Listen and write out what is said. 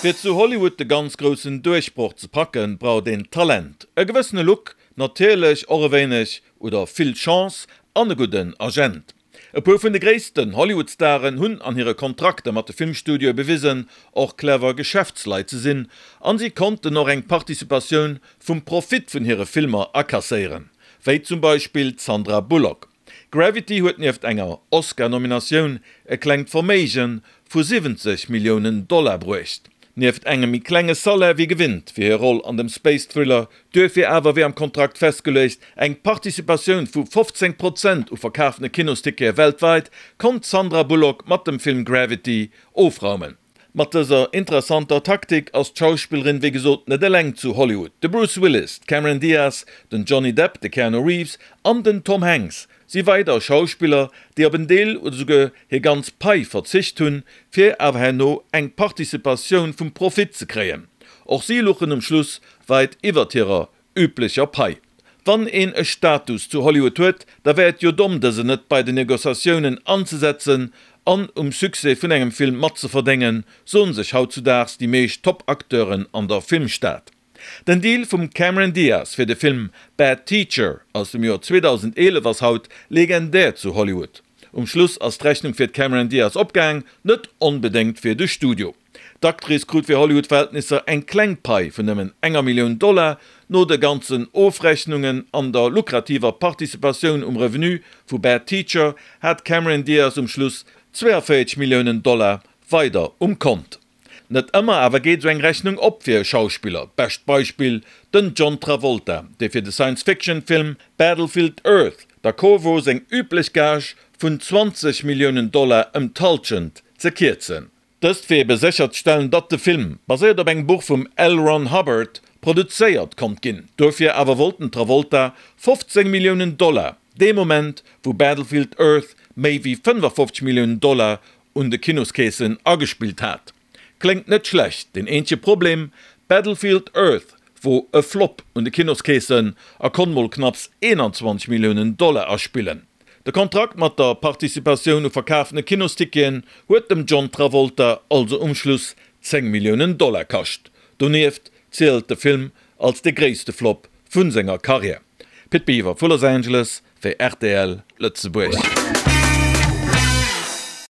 Fir zu Hollywood de ganz groussen Duerchbroch ze packen, braucht een Talent, e gewëssene Look, natierlech och e wéineg oder vill Chance an e gudden Agent. E puer vun de gréissten Hollywood-Staren hunn an hire Kontrakter mat de Filmstudioe bewisen, och clever Geschäftsleit ze sinn, an si konnten och eng Participatioun vum Profit vun hire Filmer akasséieren, wéi zum Beispill d'Sandra Bullock. Gravity huet nieft enger Oscar-Nominatioun e klengt Verméige vu 70 Milliounen Dollar bruecht. Nieft engem méi klenge Salaire wéi gewinnt fir hir Roll an dem Space-Thriller, duerfir awer wéi am Kontrakt festgeluecht eng Participatioun vu 15 Prozent u verkafene Kinostickete weltweit, konnt d'Sandra Bullock mat dem Film Gravity ofraumen. Mat dëser interessanter Taktik ass d'Schauspillerin wéi gesot net eleng zu Hollywood. De Bruce Willis, d'Cameron Diaz, den Johnny Depp, de Keanu Reeves an den Tom Hanks si weider Schauspiller, déi op en Deel oder souguer hir ganz Pai verzicht hunn, fir awer herno eng Participatioun vum Profit ze kréien. Och si luchen um Schluss weit iwwert hirer üblecher Pai. Wann een e Status zu Hollywood huet, da wär et jo domm dësen net bei den Negociatiounen anzesetzen an um Succès vun engem Film matzeverdéngen, soen sech hautzudaags déi meescht Top-Acteuren an der Filmstad. Den Deal vum Cameron Diaz fir de Film Bad Teacher aus dem Joer 2011 ass haut legendär zu Hollywood. Um Schluss ass d'Rechnung fir d'Cameron Diaz opgaang, net onbedéngt fir de Studio. D'Actrice krut fir Hollywood-Verhältnisser eng kleng Pai vun nëmmen enger Millioun Dollar. No de ganzen Ofrechnungen an der lukrativer Participatioun um Revenu vu Bad Teacher hat d'Cameron Diaz um Schluss 42 Milliounen Dollar weider um Kont. Net ëmmer awer geet esou eng Rechnung op fir e Schauspiller. Bescht Beispill, den John Travolta, dee fir de Science-Fiction-Film Battlefield Earth d'accord wor seng üblech Gage vun 20 Milliounen Dollar ëm d'Hallschent ze kierzen. Dëst fir ebe sécherzestellen, datt de Film, baséiert op engem Buch vum L. Ron Hubbard, produzéiert konnt ginn. Dofir awer wollt den Travolta 15 Milliounen Dollar, dee Moment wou Battlefield Earth méi wéi 55 Milliounen Dollar un de Kinoskeesen agespillt hat. Kléngt net schlecht, deen eenzege Problem, Battlefield Earth wor e Flop un de Kinoskeesen a konnt mol knapps 21 Milliounen Dollar aspillen. De Kontrakt mat der Participatioun u verkafene Kinosticketen huet dem John Travolta also um Schluss 10 Milliounen Dollar kascht. Donieft zielt de Film als de gréisste Flop vu senger Karriär. Pit Biwer vu Los Angeles fir rtl Lëtzebuerg.